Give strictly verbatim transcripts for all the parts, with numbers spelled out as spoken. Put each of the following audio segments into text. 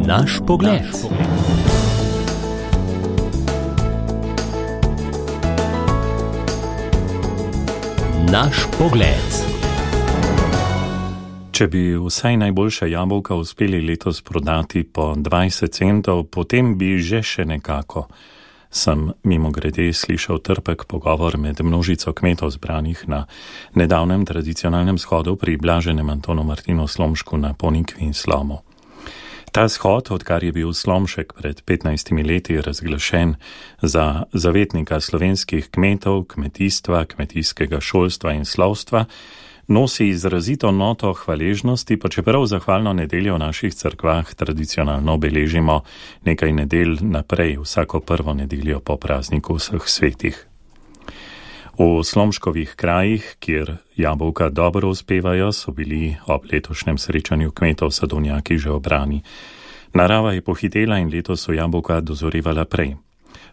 Naš pogled. Naš pogled. Če bi vsaj najboljša jabolka uspeli letos prodati po dvajset centov, potem bi že še nekako. Sem mimogrede slišal trpek pogovor med množico kmetov zbranih na nedavnem tradicionalnem shodu pri blaženem Antonu Martinu Slomšku na Ponikvi in Slomu. Ta shod, odkar je bil Slomšek pred petnajstimi leti razglašen za zavetnika slovenskih kmetov, kmetijstva, kmetijskega šolstva in slovstva, nosi izrazito noto hvaležnosti, pa čeprav zahvalno nedeljo v naših cerkvah tradicionalno beležimo nekaj nedelj naprej, vsako prvo nedeljo po prazniku vseh svetih. V Slomškovih krajih, kjer jabolka dobro uspevajo, so bili ob letošnjem srečanju kmetov sadovnjaki že obrani. Narava je pohitela in letos so jabolka dozorevala prej.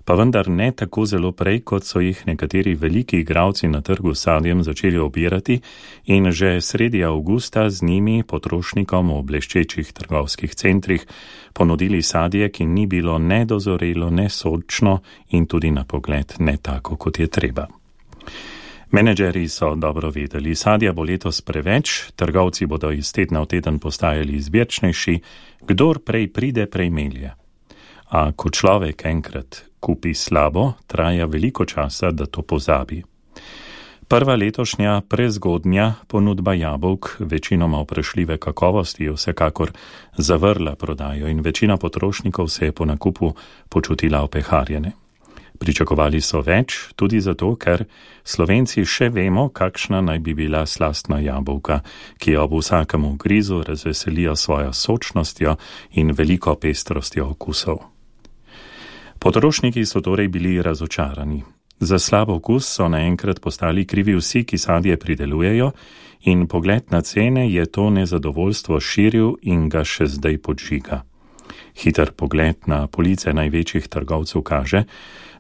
Pa vendar ne tako zelo prej, kot so jih nekateri veliki igralci na trgu s sadjem začeli obirati in že sredi avgusta z njimi potrošnikom v bleščečih trgovskih centrih ponudili sadje, ki ni bilo ne dozorelo, ne sočno in tudi na pogled ne tako, kot je treba. Menedžeri so dobro vedeli, sadja bo letos preveč, trgovci bodo iz tedna v teden postajali izbirčnejši, kdor prej pride, prej melje. A ko človek enkrat kupi slabo, traja veliko časa, da to pozabi. Prva letošnja prezgodnja ponudba jabolk, večinoma vprašljive kakovosti, je vsekakor zavrla prodajo in večina potrošnikov se je po nakupu počutila opeharjene. Pričakovali so več, tudi zato, ker Slovenci še vemo, kakšna naj bi bila slastna jabolka, ki ob vsakem grizu razveselijo svojo sočnostjo in veliko pestrostjo okusov. Potrošniki so torej bili razočarani. Za slab okus so naenkrat postali krivi vsi, ki sadje pridelujejo, in pogled na cene je to nezadovoljstvo širil in ga še zdaj podžiga. Hiter pogled na police največjih trgovcev kaže,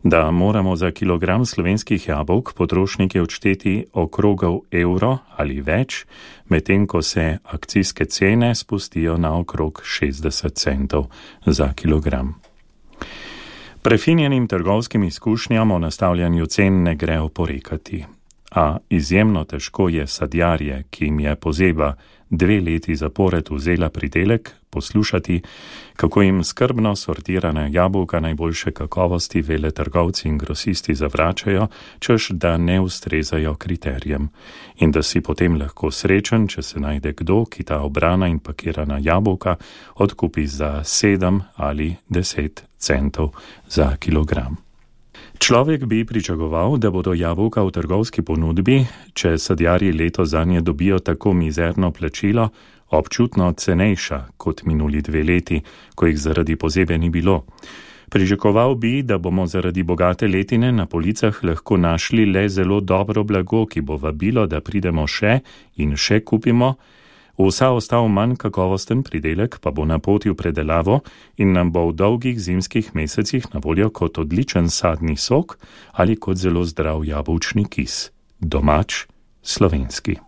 da moramo za kilogram slovenskih jabolk potrošnike odšteti okrogov evro ali več, medtem ko se akcijske cene spustijo na okrog šestdeset centov za kilogram. Prefinjenim trgovskim izkušnjam o nastavljanju cen ne gre oporekati, a izjemno težko je sadjarje, ki jim je pozeba dve leti zapored vzela pridelek, poslušati, kako jim skrbno sortirana jabolka najboljše kakovosti veletrgovci in grosisti zavračajo, češ da ne ustrezajo kriterijem, in da si potem lahko srečen, če se najde kdo, ki ta obrana in pakirana jabolka odkupi za sedem ali deset centov za kilogram. Človek bi pričakoval, da bodo jabolka v trgovski ponudbi, če sadjarji leto zanje dobijo tako mizerno plačilo, občutno cenejša kot minuli dve leti, ko jih zaradi pozebe ni bilo. Pričakoval bi, da bomo zaradi bogate letine na policah lahko našli le zelo dobro blago, ki bo vabilo, da pridemo še in še kupimo, vsa ostal manj kakovosten pridelek pa bo na poti v predelavo in nam bo v dolgih zimskih mesecih na voljo kot odličen sadni sok ali kot zelo zdrav jabolčni kis. Domač, slovenski.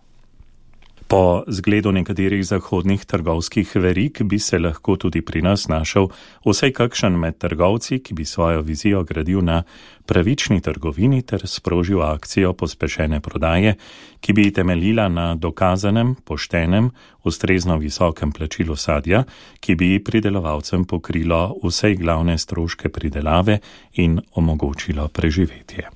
Po zgledu nekaterih zahodnih trgovskih verig bi se lahko tudi pri nas našel vsaj kakšen med trgovci, ki bi svojo vizijo gradil na pravični trgovini ter sprožil akcijo pospešene prodaje, ki bi temeljila na dokazanem, poštenem, ustrezno visokem plačilu sadja, ki bi pridelovalcem pokrilo vsej glavne stroške pridelave in omogočilo preživetje.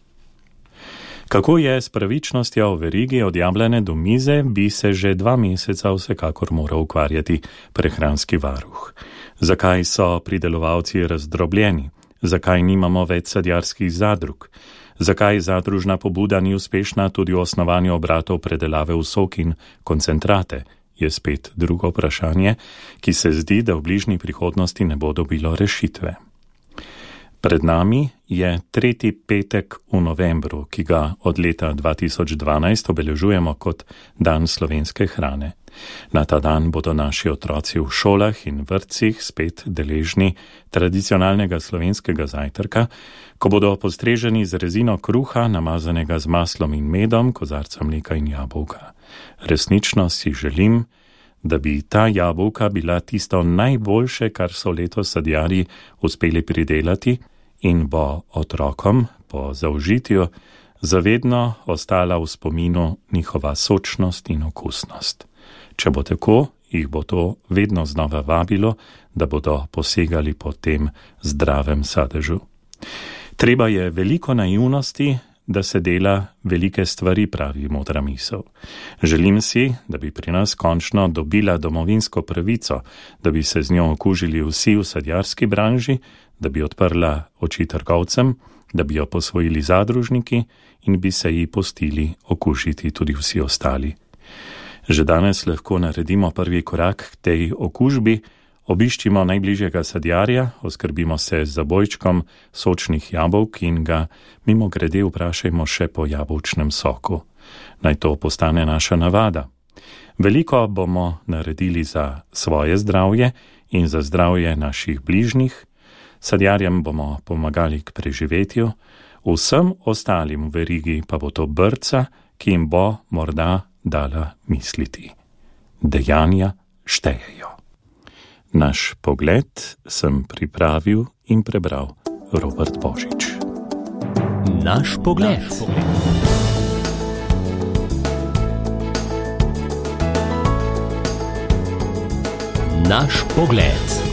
Kako je s pravičnostjo v verigi od jablane do mize, bi se že dva meseca vsekakor moral ukvarjati prehranski varuh. Zakaj so pridelovalci razdrobljeni? Zakaj nimamo več sadjarskih zadrug? Zakaj zadružna pobuda ni uspešna tudi v osnovanju obratov predelave v sok in koncentrate? Je spet drugo vprašanje, ki se zdi, da v bližnji prihodnosti ne bo dobilo rešitve. Pred nami je tretji petek v novembru, ki ga od leta dva tisoč dvanajst obeležujemo kot Dan slovenske hrane. Na ta dan bodo naši otroci v šolah in vrtcih spet deležni tradicionalnega slovenskega zajtrka, ko bodo postreženi z rezino kruha, namazanega z maslom in medom, kozarca mleka in jabolka. Resnično si želim, da bi ta jabolka bila tisto najboljše, kar so letos sadjarji uspeli pridelati in bo otrokom po zaužitju zavedno ostala v spominu njihova sočnost in okusnost. Če bo tako, jih bo to vedno znova vabilo, da bodo posegali po tem zdravem sadežu. Treba je veliko naivnosti, da se dela velike stvari, pravi modra misel. Želim si, da bi pri nas končno dobila domovinsko pravico, da bi se z njo okužili vsi v sadjarski branži, da bi odprla oči trgovcem, da bi jo posvojili zadružniki in bi se ji pustili okužiti tudi vsi ostali. Že danes lahko naredimo prvi korak k tej okužbi, obiščimo najbližjega sadjarja, oskrbimo se z zabojčkom sočnih jabolk in ga mimogrede vprašajmo še po jabolčnem soku. Naj to postane naša navada. Veliko bomo naredili za svoje zdravje in za zdravje naših bližnjih, sadjarjem bomo pomagali k preživetju, vsem ostalim v verigi pa bo to brca, ki jim bo morda dala misliti. Dejanja štejejo. Naš pogled sem pripravil in prebral Robert Božič. Naš pogled. Naš pogled.